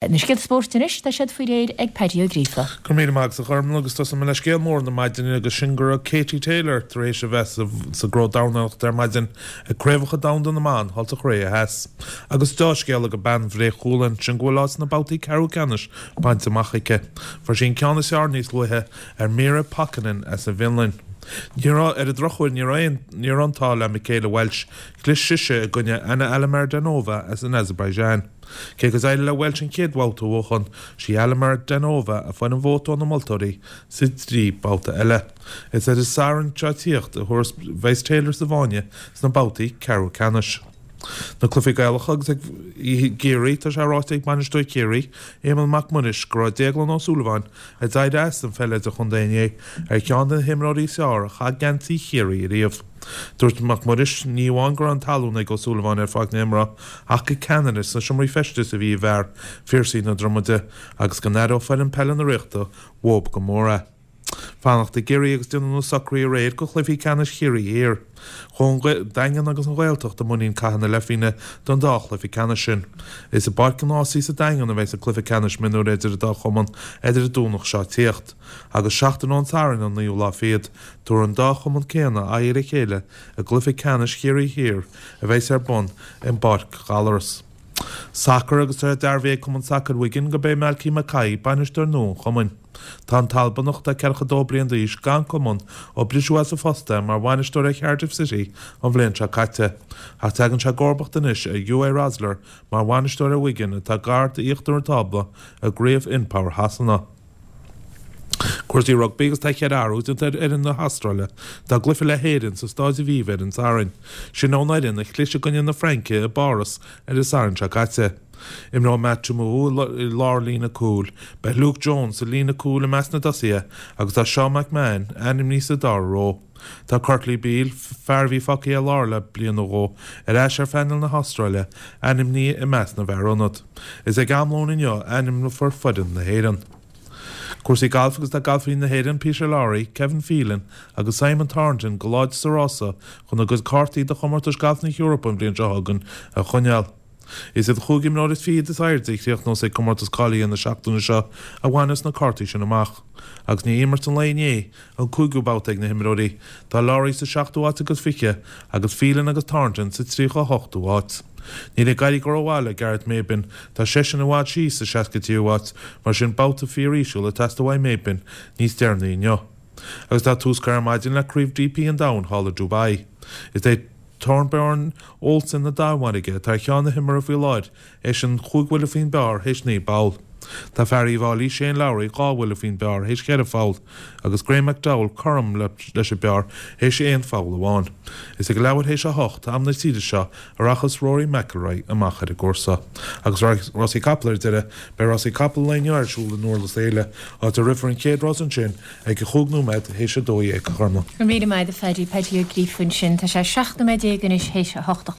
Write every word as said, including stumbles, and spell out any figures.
Na scéalta spóirt anois, tá siad faoi réir ag Paddy Ó Gríofa. Go raibh míle maith agat a Ghormfhlaith agus tosóidh mé le scéal mór na maidine agus sin go raibh Katie Taylor tar éis a bheith sa gcró dornálaíochta ar maidin ag Craobhacha Domhanda na mBan thall sa Chóiré Theas. Agus deá-scéal ag bean Bhré Chualann sin go bhfuil áit sna babhtaí ceathrú ceannais bainte amach aici. Fuair sí an ceann is fearr níos luaithe ar Mira Pakkanen as an bhFionlainn. Ní raibh ar an drochuair ní raibh ní raibh an t-ádh le Michaela Welsh, chlis sise i gcoinne Anna Alimardanova as an Azerbaijan. Cé go d'éirigh le Welsh an chéad bhabhta a bhuachan, sí Alimardanova a fuair an vóta ó na moltóirí sa trí babhta eile. Is ar an Satharn seo ag tíocht a bheas Taylor sa bhfáinne sna babhtaí ceathrú ceannais. Na cluichí Gaelacha agus ag Ciarraí tá sé ráite ag bainisteoir Chiarraí, Éamonn Mac Muiris, go raibh Déaglán Ó Súilleabháin a d'éirigh as an pheil idirchontae inné ar cheann de na himreoirí is fearr a chaith geansaí Chiarraí ariamh. Dúirt Mac Muiris ní amháin go raibh an talún ag Ó Súilleabháin ar pháirc na himeartha ach gur ceannaire sna seomraí feistis a bhí i bhfear Phiarsaigh na Dromoda agus go n-aireodh foireann peile na Ríochta uathu go mór é. Fanacht i gCiarraí agus déanamh na socruithe aréir do chluichí ceannais Chiarraí Thiar. Chuaigh an Daingean agus an Ghaeltacht i muinín Cath na Leithphingine don dá chluiche ceannais sin. Is i bPáirc an Ásaigh sa Daingean a bheas an cluiche ceannais mionúir idir an dá chumann ar an Domhnach seo ag tíocht. Agus seachtain ón Satharn an naoú lá fichead, tabharfaidh an dá chumann céanna aghaidh ar a chéile i gcluiche ceannais Chiarraí Thiar a bheas ar bun i bPáirc Ghallaras. Sacar agus tá dearbhaithe ag Cumann Sacair Wigan gurb é Malky Mackay bainisteoir nua an chumainn. Tá an tAlbanach atá ceathracha dó bliain d'aois gan cumann ó briseadh as a phost é mar bhainisteoir ar Cardiff City an bhliain seo caite. Ach tagann sé i gcomharbacht anois ar Uwe Rosler mar bhainisteoir ar Wigan atá gar d'íochtar an tábla i gcraobh InPower Shasana. Cúrsaí rugbaí agus tá ceithre athrú déanta ar fhoireann na hAstráile dá gcluiche le hÉirinn sa Stáid Aviva ar an Satharn. Sin ón fhoireann a chlis i gcoinne na Fraince i bPáras ar an Satharn seo caite. Imreoidh Matt Toomua i lár líne cúil, beidh Luke Jones sa líne cúil i measc na dtosaithe agus tá Sean McMahon ainmnithe sa dara ró. Tá Kurtley Beale, fear a bhí fágtha ar lár le bliain nó dhó, ar ais ar phainéal na hAstráile, ainmnithe i measc na bhfear ionad. Is ag am lóin inniu a ainmneofar foireann na hÉireann. Cúrsaí gailf agus tá galfaithe na hÉireann Peter Lawrie, Kevin Phelan agus Simon Thornton go láidir sa rása chun a gcuid cártaí do chomórtais gailf na hEorpa an bhliain seo chugainn a choinneáil. Is iad chúig imreoir is fichead is airde a chríochnós ag comórtas cáilithe na seachtaine seo a bhaineas na cártaí sin amach. Agus i ndiaidh imirt an lae inné, an cúigiú babhta ag na himreoirí, tá Lawrie sa seachtú háit agus fiche agus Phelan agus Thornton sa tríocha hochtú háit. Níl ag éirí go rómhaith le Gareth Maybin, tá seisean i bhfad síos sa seasca tríú háit, mar sin babhta fíoríseal ag teastáil uaidh Maybin níos deireanaí inniu. Agus tá tús curtha ar maidin le Craobh DP an Domhain thall i Dubai. Is é Thorbjørn Olsen na Danmhairge atá ar cheann na himeartha faoi láthair, eisean chúig bhuille faoin bpar théis naoi bpoll. Tá fear Uíbh Fhailí Shane Lowry dhá bhuille faoin bpar théis cheithre pholl, agus Graham McDowell cothrom leis an bpar théis aon pholl amháin. Is ag leathuair théis a hocht, am na tíre seo, a rachas Rory McIlroy amach ar an gcúrsa. Agus rásaí capall ar deireadh, beidh rásaí capall an lae inniu ar siúl in Durlas Éile, áit a rithfear an chéad rás ansin ag a chúig nóiméad théis a dó dhéag, a Ghormfhlaith. Go raibh míle maith agat a Phaddy, Paddy Ó Gríofa ansin. Tá sé seacht nóiméad déag anois théis a hocht a